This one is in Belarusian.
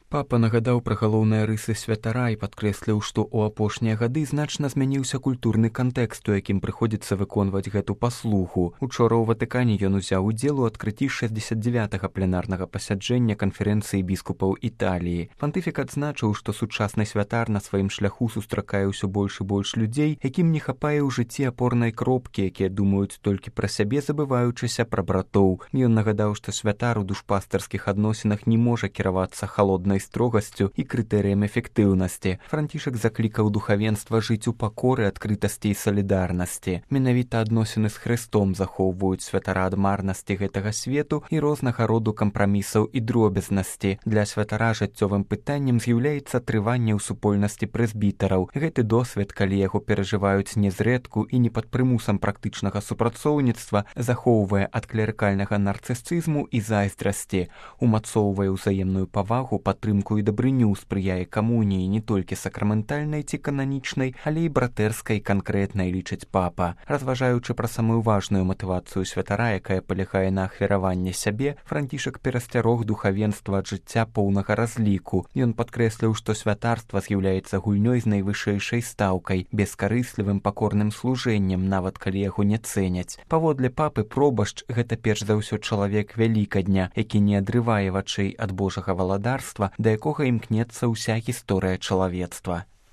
Папа нагадаў пра галоўныя рысы святара і падкрэсліў, што ў апошнія гады значна змяніўся культурны кантэкст, у якім прыходзіцца выконваць гэту паслугу. Учора ў Ватыкане ён узяў удзел у адкрыцці 69-га пленарнага пасяджэння канферэнцыі біскупаў Італіі. Пантыфік адзначыў, што сучасны святар на сваім шляху сустракае ўсё больш і больш людзей, якім не хапае ў жыцці апорнай кропкі, якія думаюць толькі пра сябе, забываючыся пра братоў. Ён нагадаў, што святар у душпастарскіх адносінах не можа кіравацца халоднай строгасцю і крытэрыям эфектыўнасці. Францішак заклікаў духавенства жыць у пакоры, адкрытасці і салідарнасці. Менавіта адносіны з Хрыстом захоўваюць святара ад марнасці гэтага свету і рознага роду кампрамісаў і дробязнасці. Для святара жыццёвым пытаннем з'яўляецца трыванне ў супольнасці прэзбітараў. Гэты досвед, калі яго перажываюць незрэдку і не пад прымусам практычнага супрацоўніцтва, захоўвае ад клерыкальнага нарцысізму і зайздрасці, умацоўвае ўзаемную павагу, падтрымку і дабрыню, спрыяе камуніі не толькі сакраментальнай ці кананічнай, але і братэрскай канкрэтнай, лічыць папа. Разважаючы пра самую важную матывацыю святара, якая палягае на ахвяраванне сябе, Францішак перасцярог духавенства ад жыцця поўнага разліку. Ён падкрэсліў, што святарства з'яўляецца гульнёй з найвышэйшай стаўкай, бескарыслівым пакорным служэннем, нават калі яго не цэняць. Паводле папы, пробашч — гэта перш за ўсё чалавек вялікадня, які не адрывае вачэй ад Божага валадарства, да якога імкнецца ўся гісторыя чалавецтва.